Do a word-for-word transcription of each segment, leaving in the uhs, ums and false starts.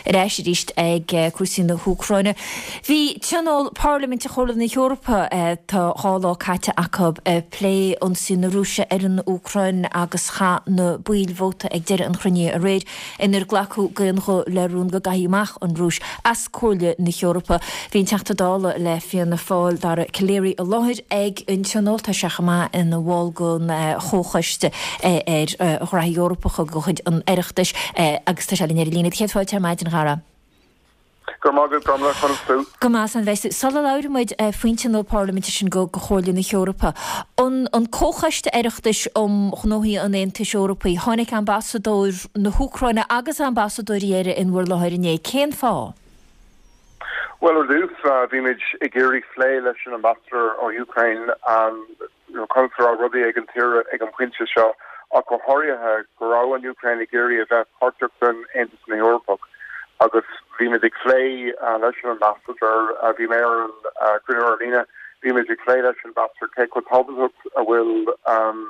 Ar ais arís ag cúrsaí na hÚcráine. Bhí tionól Parlaiminte Chomhairle na hEorpa tá dhá lá caite acu ag plé ionsaí na Rúise ar an Úcráin agus chaith na baill vóta ag deireadh an chruinnithe aréir inar glacadh d'aon ghuth le rún go gcaithfí amach an Rúis as Comhairle na hEorpa. Bhí an Teachta Dála le Fianna Fáil Dara Calleary i láthair ag an tionól tá sé chomh maith ina bhall den chomhchoiste ar ghraithí Eorpacha de chuid an Oireachtais agus tá sé linn ar an líne. Céad fáilte ar maidin a Dhara. Go maith conas tú. Go maith an bheith Sula labhraíonn muid faoin tionól parlaiminte sin go go Chomhairle na hEorpa. An an comhchoiste Oireachtais um ghnóthaí an Aontais Eorpaigh, tháinig ambasadóir na hÚcráine agus ambasadóirí eile in bhur láthair inné cén fáth? Well ar dtús bhí muid ag iarraidh plé leis an ambassador ó Ukraine um, conas a rudaí ag an tír ag an pointe seo ach go háirithe go raibh an Ukraine ag iarraidh a bheith páirteach den Aontas na Eorpach agus bhí muid ag plé leis an ambassador bhí mé ar an cruinniú ar líne bhí muid ag plé leis an ambassador cé chomh tábhachtach a bhfuil um,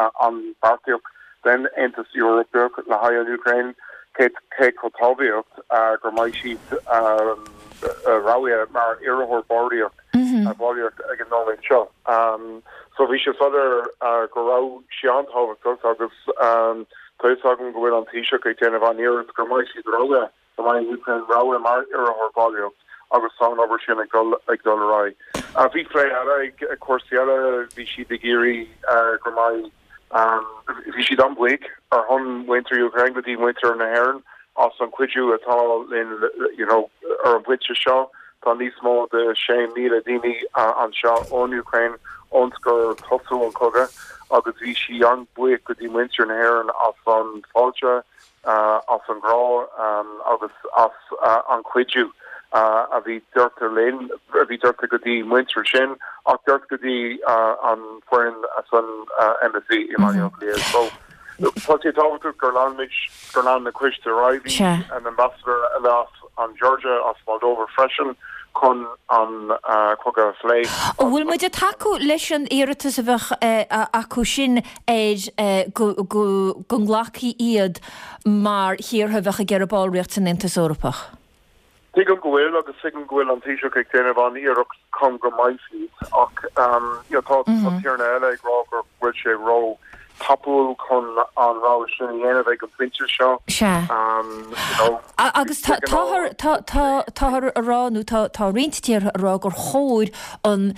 an bhallraíocht den Aontas Eorpach le haghaidh an Ukraine cé cé chomh tábhachtach gur mbeidh siad um, roghnaithe mar iarrthóir ballraíocht ballraíocht ag an nóiméad seo. Um, so bhí sé soiléir uh, go raibh sé an-tábhachtach agus um, tá agam go bhfuil an Taoiseach ag déanamh an iarracht gur mbeidh siad roghnaithe go mbeidh Ukraine roghnaithe mar iarrthóir ballraíocht agus tá an obair sin ag dul ag dul ar aghaidh. Uh, bhí plé eile ag cúrsaí eile bhí siad ag iarraidh uh, gur mbeidh um, bhí siad an-bhuíoch ar son mhuintir Ukraine go dtí muintir na hÉireann as an cuidiú atá linn you know, ar an bpointe seo tá níos mó de sé míle daoine anseo ón Ukraine ón gur thosaigh an cogadh agus bhí sí an-bhuíoch go dtí muintir na hÉireann as an fáilte uh, as an grá um, agus as uh, an cuidiú uh, a bhí deirte linn a bhí deirte go dtí muintir sin ach deirte go dtí uh, an foireann as an uh, embassy i mm -hmm. so Tá sé tábhachtach gur lean gur lean na coiste ar aghaidh an ambassador eile as an Georgia as Moldova freisin chun an uh, cogadh a phlé. An bhfuil muid ag tacú leis an iarratas a bheith acu sin ar go go nglacfaí iad mar thíortha a bheith ag iarraidh ballraíocht san Aontas Eorpach. Tuigim go bhfuil agus tuigim go bhfuil an Taoiseach ag déanamh an iarracht chun go mbeidh siad ach um, tá tíortha eile ag rá gur bhfuil sé ró-thapúil chun an rogha sin a dhéanamh ag an bpointe seo. Se. Agus táthar á rá nó tá roinnt tíortha á rá gur chóir an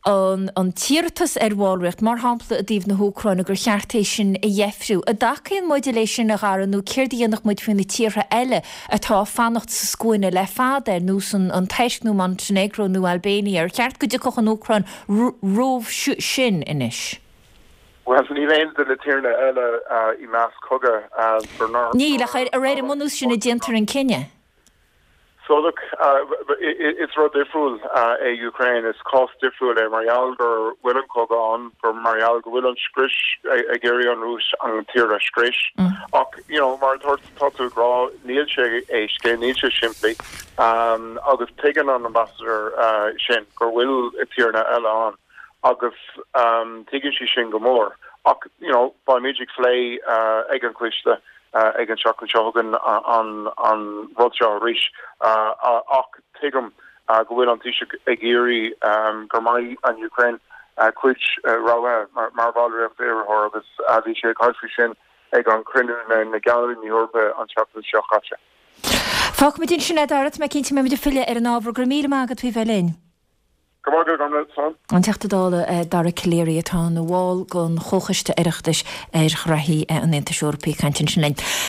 an an t-iarratas ar bhallraíocht mar shampla i dtaobh na hÚcráine gur cheart é sin a dheifriú. An dtacaíonn muid leis sin a Dhara nó céard a dhéanfadh muid faoi na tíortha eile atá fanacht sa scuaine le fada ar nós an an Tuirc nó Montenegro nó Albania ar cheart go dtiocfadh an Úcráin roimh sin anois. Well ní aon de na tíortha eile i measc cogadh Ní le ar ar an mbunús sin a déantar an cinneadh. So look uh, it's rud difriúil uh, é Ukraine is cás difriúil é mar gheall gur bhfuil an cogadh ann gur mar gheall go bhfuil an scrios ag iarraidh an Rúis an tír a scrios mm. ach you know mar tá tú ag rá níl sé éasca níl sé simplí um, agus tuigeann an ambassador uh, sin gur bhfuil tíortha eile ann agus um, tuigeann sí sin go mór ach you know beimid ag plé uh, ag an coiste uh, ag an seachtain seo chugainn an an rud seo arís uh, ach tuigim uh, go bhfuil an Taoiseach ag iarraidh um, gur mbeidh an Ukraine uh, cuid uh, rogha mar, mar bhallraíocht iarrthóir agus uh, bhí sé caithfí sin ag an cruinniú na na gceannairí na hEorpa an seachtain seo caite. Fágfaimid ansin é a Dhara mé cinnte mé filleadh ar an ábhar go míle maith agat faoi bheith linn. An Teachta Dála Dara Calleary atá ina bhall den chomhchoiste Oireachtais ar ghraithí an Aontais Eorpaigh ag caint ansin linn.